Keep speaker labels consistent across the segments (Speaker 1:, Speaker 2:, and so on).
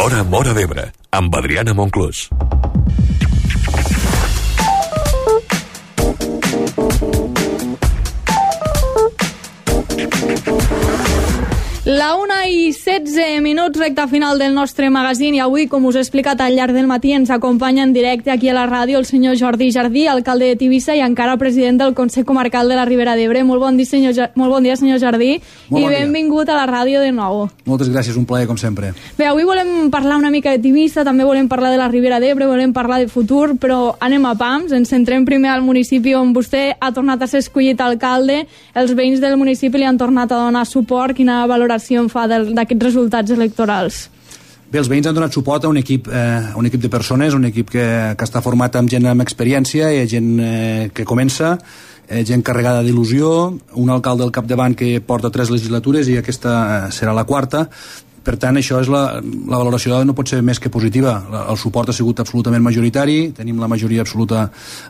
Speaker 1: L'Hora Móra d'Ebre, amb Adriana Monclús.
Speaker 2: La 1:16, recta final del nostre magazín, i avui, com us he explicat al llarg del matí, ens acompanya en directe aquí a la ràdio el senyor Jordi Jardí, alcalde de Tivissa i encara president del Consell Comarcal de la Ribera d'Ebre. Molt bon dia, senyor Jardí, i benvingut a la ràdio de nou.
Speaker 3: Moltes gràcies, un plaer, com sempre.
Speaker 2: Bé, avui volem parlar una mica de Tivissa, també volem parlar de la Ribera d'Ebre, volem parlar de futur, però anem a pams, ens centrem primer al municipi on vostè ha tornat a ser escollit alcalde, els veïns del municipi li han tornat a donar suport. Quina valoració en fa d'aquests resultats electorals?
Speaker 3: Bé, els veïns han donat suport a un equip de persones, un equip que està format amb gent amb experiència i gent que comença, gent carregada d'il·lusió, un alcalde al capdavant que porta 3 legislatures i aquesta serà la 4ª. Per tant, això és la valoració no pot ser més que positiva. El suport ha sigut absolutament majoritari, tenim la majoria absoluta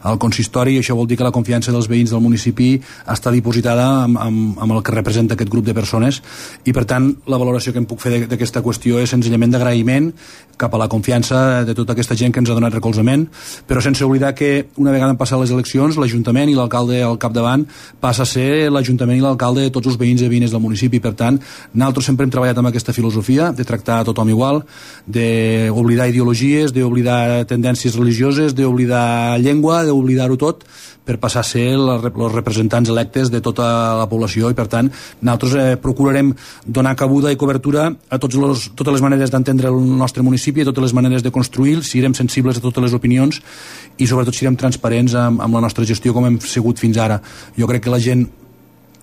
Speaker 3: al consistori, i això vol dir que la confiança dels veïns del municipi està dipositada amb el que representa aquest grup de persones, i per tant la valoració que em puc fer d'aquesta qüestió és senzillament d'agraïment cap a la confiança de tota aquesta gent que ens ha donat recolzament, però sense oblidar que una vegada han passat les eleccions, l'Ajuntament i l'alcalde al capdavant passa a ser l'Ajuntament i l'alcalde de tots els veïns i veïnes del municipi. Per tant, nosaltres sempre hem treballat amb aquesta filosofia de tractar a tothom igual, d'oblidar ideologies, d'oblidar tendències religioses, d'oblidar llengua, d'oblidar-ho tot per passar a ser els representants electes de tota la població, i per tant nosaltres procurarem donar cabuda i cobertura a totes les maneres d'entendre el nostre municipi, a totes les maneres de construir, serem sensibles a totes les opinions i sobretot serem transparents amb la nostra gestió com hem sigut fins ara. Jo crec que la gent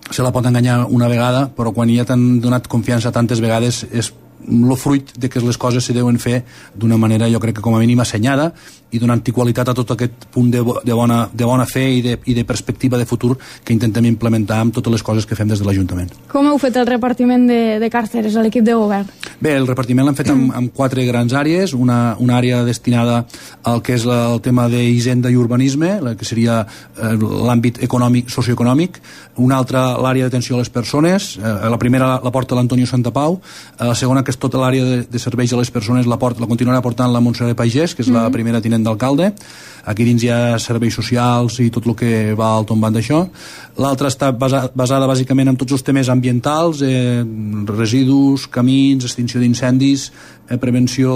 Speaker 3: se la pot enganyar una vegada, però quan ja t'han donat confiança tantes vegades és el fruit de que les coses se deuen fer d'una manera, jo crec que com a mínim assenyada, i donant qualitat a tot aquest punt de bona fe i de perspectiva de futur que intentem implementar amb totes les coses que fem des de l'Ajuntament.
Speaker 2: Com heu fet el repartiment de carteres a l'equip de govern?
Speaker 3: Bé, el repartiment l'hem fet amb 4 grans àrees, una àrea destinada al que és el tema d'hisenda i urbanisme, que seria l'àmbit socioeconòmic, una altra l'àrea d'atenció a les persones, la primera la porta l'Antonio Santapau, la segona, que és tota l'àrea de serveis a les persones, la continuarà portant la Montserrat Pagès, que és la primera tinent d'alcalde. Aquí dins hi ha serveis socials i tot el que va al tombant d'això. L'altra està basada bàsicament en tots els temes ambientals, residus, camins, extinció d'incendis, prevenció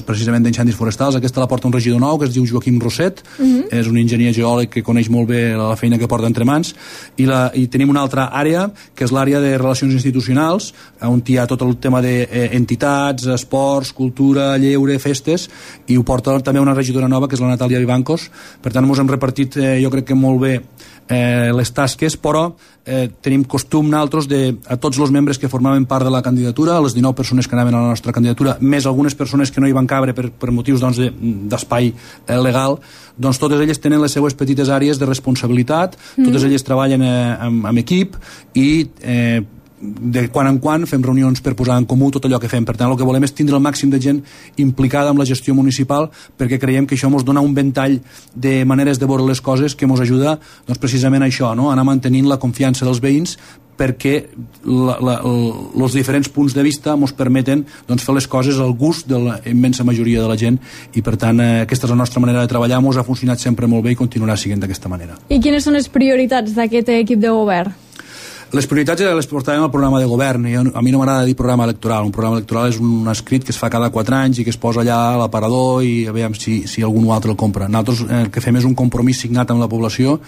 Speaker 3: precisament d'incendis forestals. Aquesta la porta un regidor nou que es diu Joaquim Rosset, és un enginyer geòleg que coneix molt bé la feina que porta entre mans, i tenim una altra àrea que és l'àrea de relacions institucionals, on hi ha tot el tema d'entitats, esports, cultura, lleure, festes, i ho porta també una regidora nova que és la Natàlia Vivancos. Per tant, ens hem repartit jo crec que molt bé les tasques, però tenim costum nosaltres a tots els membres que formaven part de la candidatura, les 19 persones que anaven a la nostra candidatura, més algunes persones que no hi van cabre per motius d'espai legal, doncs totes elles tenen les seues petites àrees de responsabilitat, totes elles treballen amb equip i de quan en quan fem reunions per posar en comú tot allò que fem. Per tant, el que volem és tindre el màxim de gent implicada amb la gestió municipal, perquè creiem que això ens dona un ventall de maneres de veure les coses que ens ajuda precisament a això, anar mantenint la confiança dels veïns, perquè els diferents punts de vista ens permeten fer les coses al gust de la immensa majoria de la gent, i per tant aquesta és la nostra manera de treballar, ens ha funcionat sempre molt bé i continuarà sent d'aquesta manera.
Speaker 2: I quines són les prioritats d'aquest equip de govern?
Speaker 3: Les prioritats les portàvem al programa de govern, i a mi no m'agrada dir programa electoral. Un programa electoral és un escrit que es fa cada 4 anys i que es posa allà a l'aparador i a veure si algun altre el compra. Nosaltres el que fem és un compromís signat amb la població,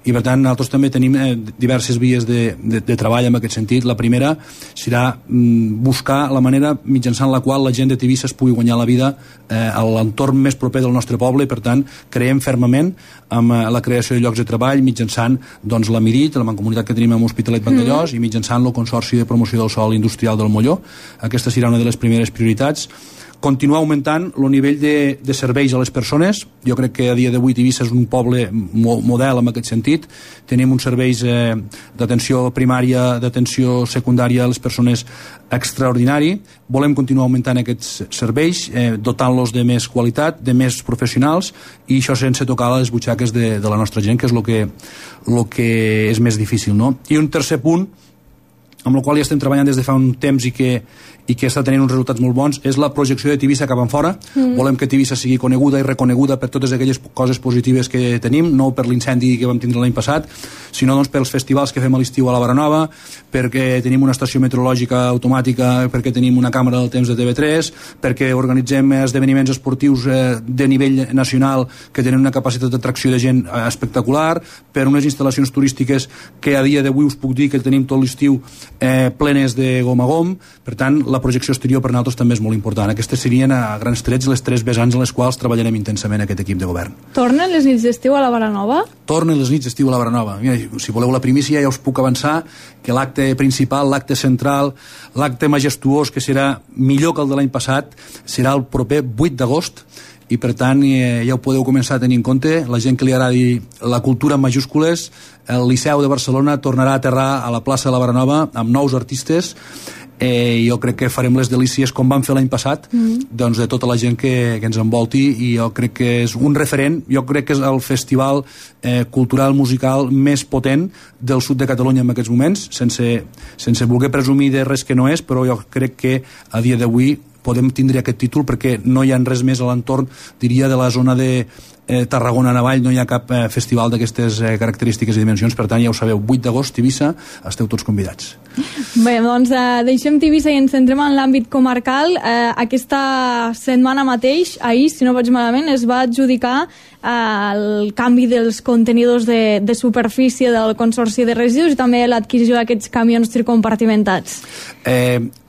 Speaker 3: i per tant nosaltres també tenim diverses vies de treball en aquest sentit. La primera serà buscar la manera mitjançant la qual la gent de Tivissa es pugui guanyar la vida a l'entorn més proper del nostre poble, i per tant creiem fermament amb la creació de llocs de treball mitjançant la Mirit, la mancomunitat que tenim amb Hospitalet Vandellós, i mitjançant el Consorci de Promoció del Sòl Industrial del Molló. Aquesta serà una de les primeres prioritats. Continuar augmentant el nivell de serveis a les persones. Jo crec que a dia d'avui Tivissa és un poble model en aquest sentit. Tenim uns serveis d'atenció primària, d'atenció secundària a les persones extraordinari. Volem continuar augmentant aquests serveis, dotant-los de més qualitat, de més professionals, i això sense tocar les butxaques de la nostra gent, que és el que és més difícil, no? I un tercer punt amb el qual ja estem treballant des de fa un temps i que està tenint uns resultats molt bons, és la projecció de Tivissa cap en fora. Volem que Tivissa sigui coneguda i reconeguda per totes aquelles coses positives que tenim, no per l'incendi que vam tindre l'any passat, sinó doncs, pels festivals que fem a l'estiu a la Baranova, perquè tenim una estació meteorològica automàtica, perquè tenim una càmera del temps de TV3, perquè organitzem esdeveniments esportius de nivell nacional que tenen una capacitat d'atracció de gent espectacular, per unes instal·lacions turístiques que a dia d'avui us puc dir que tenim tot l'estiu plenes de gom a gom. Per tant, la projecció exterior per nosaltres també és molt important. Aquestes serien a grans trets les 3 vessants en les quals treballarem intensament aquest equip de govern.
Speaker 2: Tornen les nits d'estiu a la Baranova?
Speaker 3: Tornen les nits d'estiu a la Baranova. Mira, si voleu la primícia ja us puc avançar que l'acte principal, l'acte central, l'acte majestuós, que serà millor que el de l'any passat, serà el proper 8 d'agost, i per tant ja ho podeu començar a tenir en compte. La gent que li agradi la cultura en majúscules, el Liceu de Barcelona tornarà a aterrar a la plaça de la Baranova amb nous artistes. Jo crec que farem les delícies com vam fer l'any passat, doncs de tota la gent que ens envolti, i jo crec que és un referent. Jo crec que és el festival cultural musical més potent del sud de Catalunya en aquests moments, sense voler presumir de res que no és, però jo crec que a dia d'avui podem tindre aquest títol perquè no hi ha res més a l'entorn, diria, de la zona de Tarragona-Navall, no hi ha cap festival d'aquestes característiques i dimensions. Per tant, ja ho sabeu, 8 d'agost, Tivissa, esteu tots convidats.
Speaker 2: Bé, doncs deixem Tivissa i ens centrem en l'àmbit comarcal. Aquesta setmana mateix, ahir, si no vaig malament, es va adjudicar el canvi dels contenidors de superfície del Consorci de Residus i també l'adquisició d'aquests camions tricompartimentats.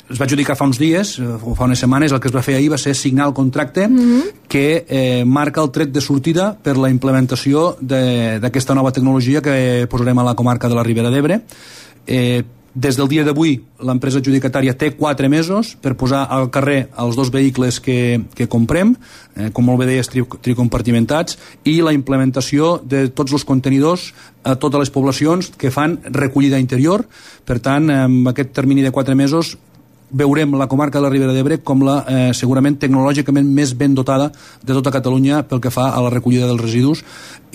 Speaker 3: Es va adjudicar fa uns dies, o fa unes setmanes. El que es va fer ahir va ser signar el contracte que marca el tret de sortida per la implementació d'aquesta nova tecnologia que posarem a la comarca de la Ribera d'Ebre. Des del dia d'avui, l'empresa adjudicatària té 4 mesos per posar al carrer els 2 vehicles que comprem, com molt bé deies, tricompartimentats, i la implementació de tots els contenidors a totes les poblacions que fan recollida interior. Per tant, amb aquest termini de 4 mesos veurem la comarca de la Ribera d'Ebre com la segurament tecnològicament més ben dotada de tota Catalunya pel que fa a la recollida dels residus,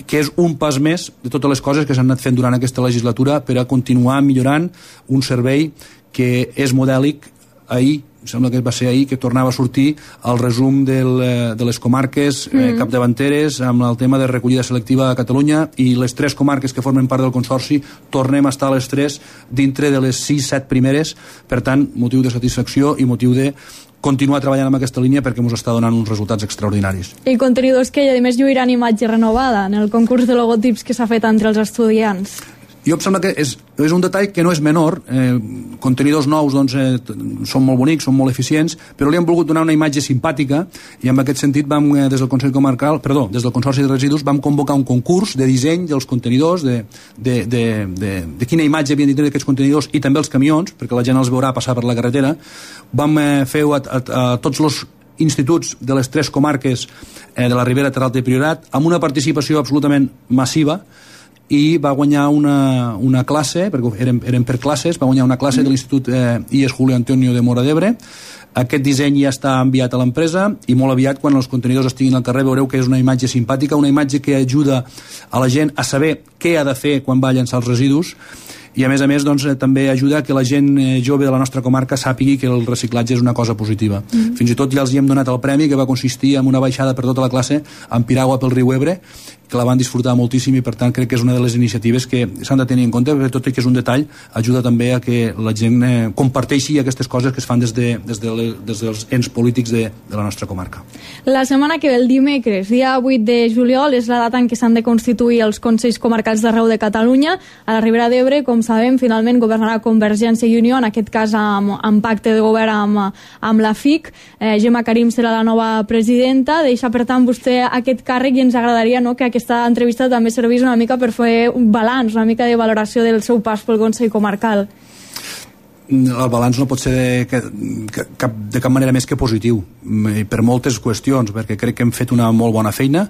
Speaker 3: que és un pas més de totes les coses que s'han anat fent durant aquesta legislatura per a continuar millorant un servei que és modèlic. Ahir, sembla que va ser ahir, que tornava a sortir el resum de les comarques capdavanteres amb el tema de recollida selectiva a Catalunya, i les 3 comarques que formen part del Consorci tornem a estar a les 3 dintre de les 6-7 primeres. Per tant, motiu de satisfacció i motiu de continuar treballant en aquesta línia perquè ens està donant uns resultats extraordinaris.
Speaker 2: I contenidors que, a més, lluiran imatge renovada en el concurs de logotips que s'ha fet entre els estudiants.
Speaker 3: Jo em sembla que és un detall que no és menor. Contenidors nous doncs, són molt bonics, són molt eficients, però li hem volgut donar una imatge simpàtica, i en aquest sentit vam, des del Consorci de Residus, vam convocar un concurs de disseny dels contenidors, de quina imatge havien de tenir aquests contenidors, i també els camions, perquè la gent els veurà passar per la carretera. Vam fer a tots els instituts de les 3 comarques de la Ribera, Terralta i Priorat, amb una participació absolutament massiva, i va guanyar una classe, perquè eren per classes, va guanyar una classe de l'Institut IES Julio Antonio de Móra d'Ebre. Aquest disseny ja està enviat a l'empresa, i molt aviat, quan els contenidors estiguin al carrer, veureu que és una imatge simpàtica, una imatge que ajuda a la gent a saber què ha de fer quan va a llançar els residus, i a més doncs, també ajuda que la gent jove de la nostra comarca sàpigui que el reciclatge és una cosa positiva. Fins i tot ja els hi hem donat el premi, que va consistir en una baixada per tota la classe en piragua pel riu Ebre, que la van disfrutar moltíssim, i per tant crec que és una de les iniciatives que s'han de tenir en compte, perquè tot i que és un detall, ajuda també a que la gent comparteixi aquestes coses que es fan des dels ens polítics de la nostra comarca.
Speaker 2: La setmana que ve, el dimecres, dia 8 de juliol, és la data en què s'han de constituir els Consells Comarcals d'arreu de Catalunya. A la Ribera d'Ebre, com sabem, finalment governarà Convergència i Unió, en aquest cas amb pacte de govern amb la FIC. Gemma Karim serà la nova presidenta. Deixa, per tant, vostè aquest càrrec, i ens agradaria que aquesta entrevista també servís una mica per fer un balanç, una mica de valoració del seu pas pel Consell Comarcal.
Speaker 3: El balanç no pot ser de cap manera més que positiu, per moltes qüestions, perquè crec que hem fet una molt bona feina,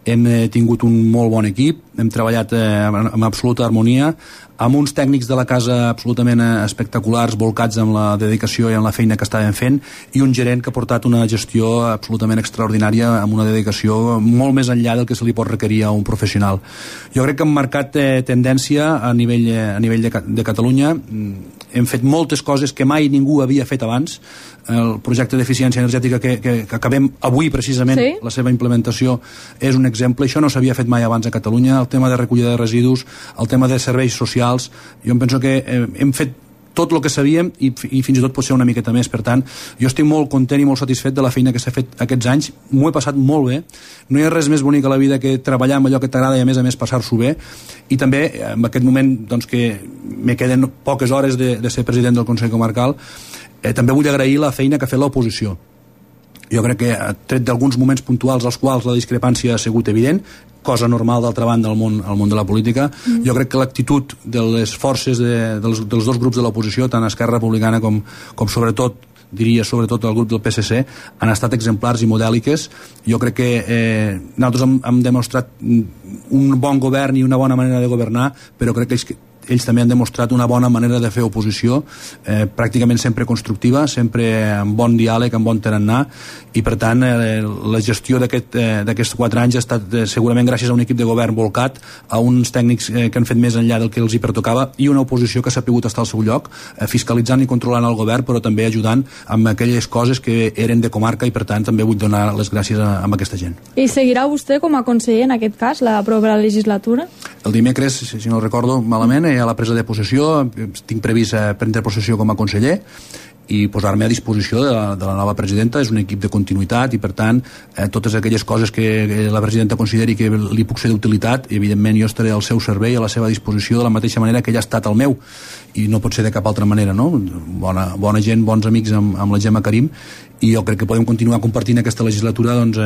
Speaker 3: hem tingut un molt bon equip, hem treballat amb absoluta harmonia, amb uns tècnics de la casa absolutament espectaculars, volcats amb la dedicació i amb la feina que estàvem fent, i un gerent que ha portat una gestió absolutament extraordinària, amb una dedicació molt més enllà del que se li pot requerir a un professional. Jo crec que hem marcat tendència a nivell de Catalunya. hem fet moltes coses que mai ningú havia fet abans. El projecte d'eficiència energètica que acabem avui precisament, sí, la seva implementació és un exemple. Això no s'havia fet mai abans a Catalunya. El tema de recollida de residus, el tema de serveis socials, jo em penso que hem fet tot el que sabíem i fins i tot pot ser una miqueta més. Per tant, jo estic molt content i molt satisfet de la feina que s'ha fet aquests anys. M'ho he passat molt bé. No hi ha res més bonic a la vida que treballar amb allò que t'agrada i a més passar-s'ho bé. I també en aquest moment doncs, que me queden poques hores de ser president del Consell Comarcal, també vull agrair la feina que ha fet l'oposició. Jo crec que, tret d'alguns moments puntuals als quals la discrepància ha sigut evident, cosa normal d'altra banda al món de la política, jo crec que l'actitud de les forces dels dos grups de l'oposició, tant Esquerra Republicana com sobretot el grup del PSC, han estat exemplars i modèliques. Jo crec que nosaltres hem demostrat un bon govern i una bona manera de governar, però crec que ells també han demostrat una bona manera de fer oposició, pràcticament sempre constructiva, sempre amb bon diàleg, amb bon tarannà, i per tant la gestió d'aquests 4 anys ha estat segurament gràcies a un equip de govern volcat, a uns tècnics que han fet més enllà del que els hi pertocava, i una oposició que s'ha pogut estar al seu lloc, fiscalitzant i controlant el govern, però també ajudant amb aquelles coses que eren de comarca, i per tant també vull donar les gràcies a aquesta gent.
Speaker 2: I seguirà vostè com a conseller en aquest cas la propera legislatura?
Speaker 3: El dimecres, si no recordo malament, a la presa de possessió tinc previst prendre possessió com a conseller i posar-me a disposició de la nova presidenta. És un equip de continuïtat i per tant totes aquelles coses que la presidenta consideri que li puc ser d'utilitat, evidentment jo estaré al seu servei, a la seva disposició, de la mateixa manera que ella ha estat al meu, i no pot ser de cap altra manera, no? Bona gent, bons amics amb la Gemma Karim, i jo crec que podem continuar compartint aquesta legislatura doncs,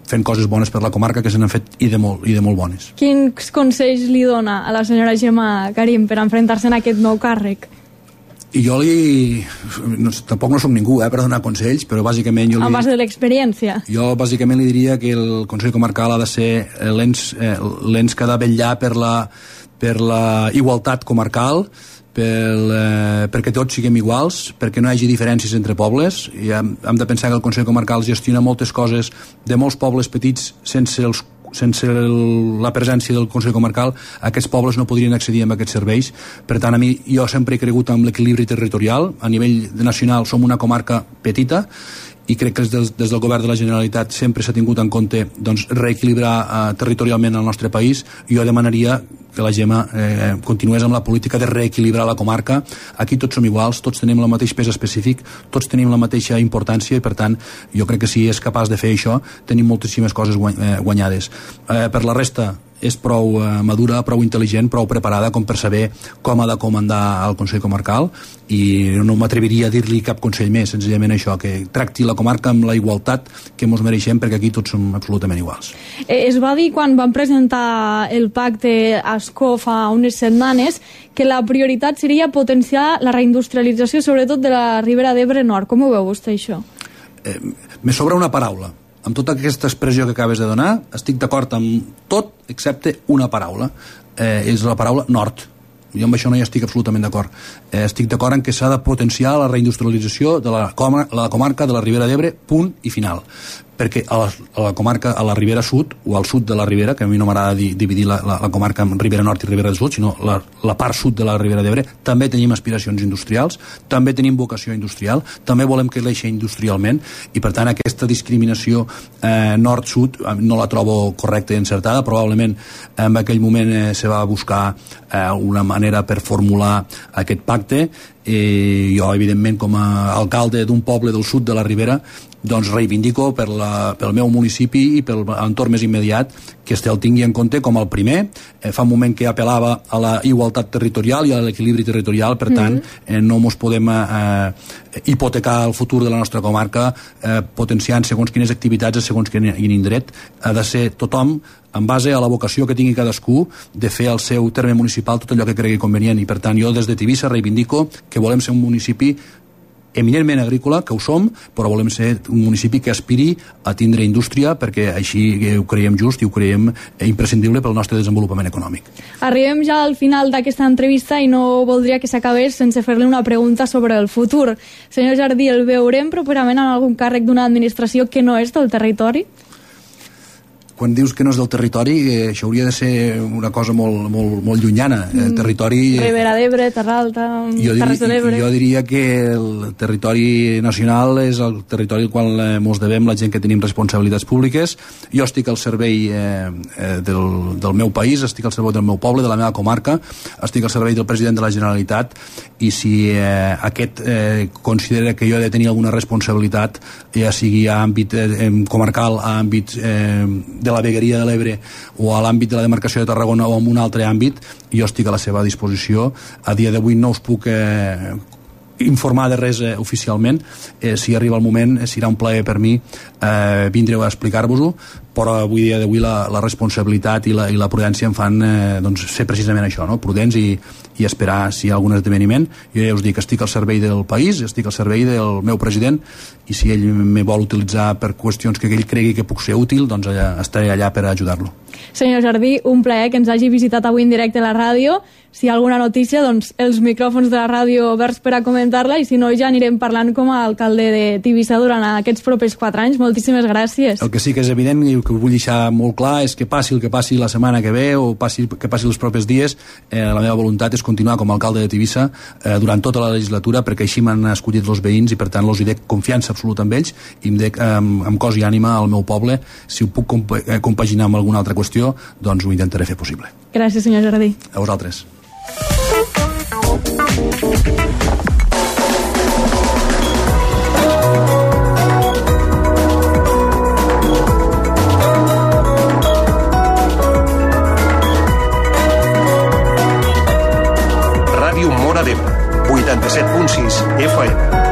Speaker 3: fent coses bones per la comarca, que se n'han fet i de molt bones.
Speaker 2: Quins consells li dona a la senyora Gemma Karim per enfrontar-se en aquest nou càrrec?
Speaker 3: I jo tampoc no soc ningú per donar consells, però bàsicament
Speaker 2: a base de l'experiència.
Speaker 3: Jo bàsicament li diria que el Consell Comarcal ha de ser l'ens que ha de vetllar per la igualtat comarcal, perquè tots siguem iguals, perquè no hi hagi diferències entre pobles. I hem de pensar que el Consell Comarcal gestiona moltes coses de molts pobles petits sense la presència del Consell Comarcal. Aquests pobles no podrien accedir a aquests serveis. Per tant, jo sempre he cregut en l'equilibri territorial. A nivell nacional som una comarca petita i crec que des del govern de la Generalitat sempre s'ha tingut en compte doncs, reequilibrar territorialment el nostre país. Jo demanaria que la Gemma continués amb la política de reequilibrar la comarca. Aquí tots som iguals, tots tenim el mateix pes específic, tots tenim la mateixa importància i per tant jo crec que si és capaç de fer això tenim moltíssimes coses guanyades. Per la resta és prou madura, prou intel·ligent, prou preparada com per saber com ha de comandar el Consell Comarcal, i no m'atreviria a dir-li cap consell més, senzillament això, que tracti la comarca amb la igualtat que ens mereixem, perquè aquí tots som absolutament iguals.
Speaker 2: Es va dir quan van presentar el pacte a Ascó fa unes setmanes que la prioritat seria potenciar la reindustrialització, sobretot de la Ribera d'Ebre Nord. Com ho veu vostè, això?
Speaker 3: Me sobra una paraula. Amb tota aquesta expressió que acabes de donar, estic d'acord amb tot excepte una paraula. És la paraula nord. Jo amb això no hi estic absolutament d'acord. Estic d'acord en que s'ha de potenciar la reindustrialització de la comarca de la Ribera d'Ebre, punt i final. Perquè a la comarca, a la Ribera Sud, o al sud de la Ribera, que a mi no m'agrada dividir la comarca en Ribera Nord i Ribera del Sud, sinó la part sud de la Ribera d'Ebre, també tenim aspiracions industrials, també tenim vocació industrial, també volem créixer industrialment, i per tant aquesta discriminació nord-sud no la trobo correcta i encertada. Probablement en aquell moment se va buscar una manera per formular aquest pacte. Jo, evidentment, com a alcalde d'un poble del sud de la Ribera, doncs reivindico pel meu municipi i pel entorn més immediat que el tingui en compte com el primer. Fa un moment que apel·lava a la igualtat territorial i a l'equilibri territorial, per tant no ens podem hipotecar el futur de la nostra comarca potenciant segons quines activitats a segons quin indret. Ha de ser tothom en base a la vocació que tingui cadascú de fer al seu terme municipal tot allò que cregui convenient, i per tant jo des de Tivissa reivindico que volem ser un municipi eminentment agrícola, que ho som, però volem ser un municipi que aspiri a tindre indústria, perquè així ho creiem just i ho creiem imprescindible pel nostre desenvolupament econòmic.
Speaker 2: Arribem ja al final d'aquesta entrevista i no voldria que s'acabés sense fer-li una pregunta sobre el futur. Senyor Jardí, el veurem properament en algun càrrec d'una administració que no és del territori?
Speaker 3: quan dius que no és del territori, això hauria de ser una cosa molt llunyana. El territori...
Speaker 2: Ribera d'Ebre, Terra Alta, Terres de l'Ebre...
Speaker 3: Jo diria que el territori nacional és el territori al qual mos devem la gent que tenim responsabilitats públiques. Jo estic al servei del meu país, estic al servei del meu poble, de la meva comarca, estic al servei del president de la Generalitat, i si aquest considera que jo he de tenir alguna responsabilitat, ja sigui a àmbit comarcal, a àmbit de la vegueria de l'Ebre o a l'àmbit de la demarcació de Tarragona o en un altre àmbit, jo estic a la seva disposició. A dia d'avui no us puc informar de res oficialment. Si arriba el moment serà un plaer per mi vindre a explicar-vos-ho, però avui dia d'avui la responsabilitat i la prudència em fan ser precisament això, no? Prudents i esperar si hi ha algun esdeveniment. Jo ja us dic, estic al servei del país, estic al servei del meu president, i si ell me vol utilitzar per qüestions que ell cregui que puc ser útil, doncs estaré allà per ajudar-lo.
Speaker 2: Senyor Jardí, un plaer que ens hagi visitat avui en directe a la ràdio. Si hi ha alguna notícia, doncs els micròfons de la ràdio oberts per a comentar-la, i si no ja anirem parlant com a alcalde de Tivissa durant aquests propers 4 anys. Moltíssimes gràcies.
Speaker 3: El que sí que és evident i que vull deixar molt clar és que passi el que passi la setmana que ve o que passi els propers dies, la meva voluntat és continuar com a alcalde de Tivissa durant tota la legislatura, perquè així m'han escollit els veïns i per tant els hi dec confiança absoluta amb ells i em dec amb cos i ànima al meu poble. Si ho puc compaginar amb alguna altra qüestió, doncs ho intentaré fer possible.
Speaker 2: Gràcies, senyor Jardí.
Speaker 3: A vosaltres.
Speaker 4: Ràdio Móra d'Ebre, 87.6 FM.